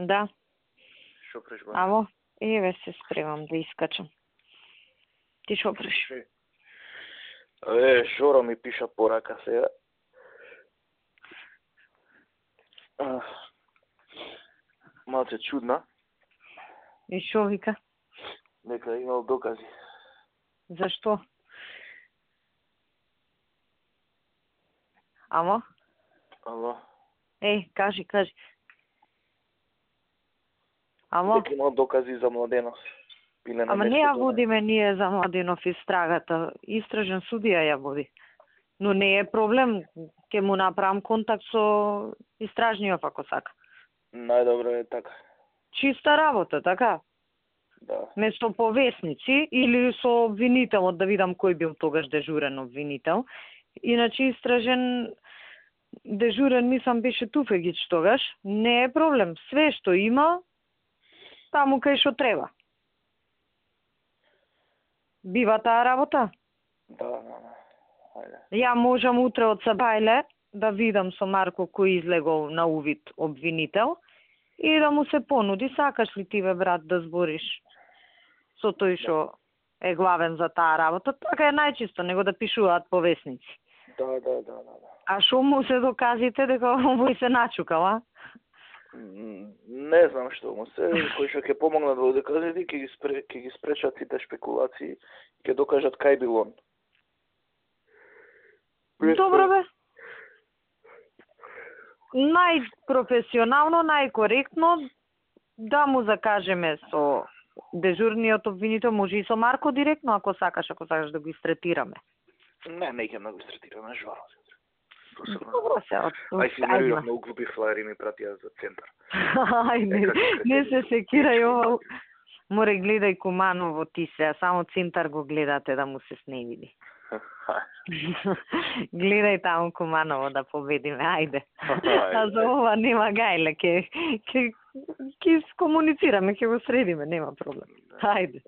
Да. Шо преш, ба? Амо, еве се спремам да искачам. Ти шо преш? Шоро ми пиша порака сега. Малце чудна. И шо вика? Дека имал докази. Зашто? Амо? Ало. Кажи. Амо? Дека имал докази за Младенов. Пиле на Ама не нешто ја тоа. водиме ние за Младенов истрагата. Истражен судија ја води. Но не е проблем. Ке му направам контакт со истражниот ако сака. Најдобро е така. Чиста работа, така? Да. Место повесници или со обвинителот да видам кој бил тогаш дежурен обвинител. Иначе истражен дежурен мислам беше Туфегич тогаш. Не е проблем. Све што има, таму кај што треба. Бива таа работа? Да. Ајде. Ја можам утре од Сабајле да видам со Марко кој излегол на увид обвинител и да му се понуди, сакаш ли ти бе брат да збориш со тој што е главен за таа работа, така е најчисто, него да пишуваат повесници. Да. А шо му се доказите дека овој се начукала? Не знам што му се, кој што ќе помогнат во доказите, ќе ги спречат сите шпекулации, ќе докажат кај бил он. Добро бе. Најпрофесионално, најкоректно да му закажеме со дежурниот обвинител, може и со Марко директно, ако сакаш да го истретираме. Не ќе да го истретираме, жваро. Добро се од... Ај си нервирав, многу глупи флаери ми пратија за центар. Не се секирај ова. Море гледај Куманово ти се, само центар го гледате да му се сневиди. Гледај таму Куманово да победиме, ајде. А за ова нема гајле, ќе комуницираме, ќе го средиме, нема проблем. Ајде.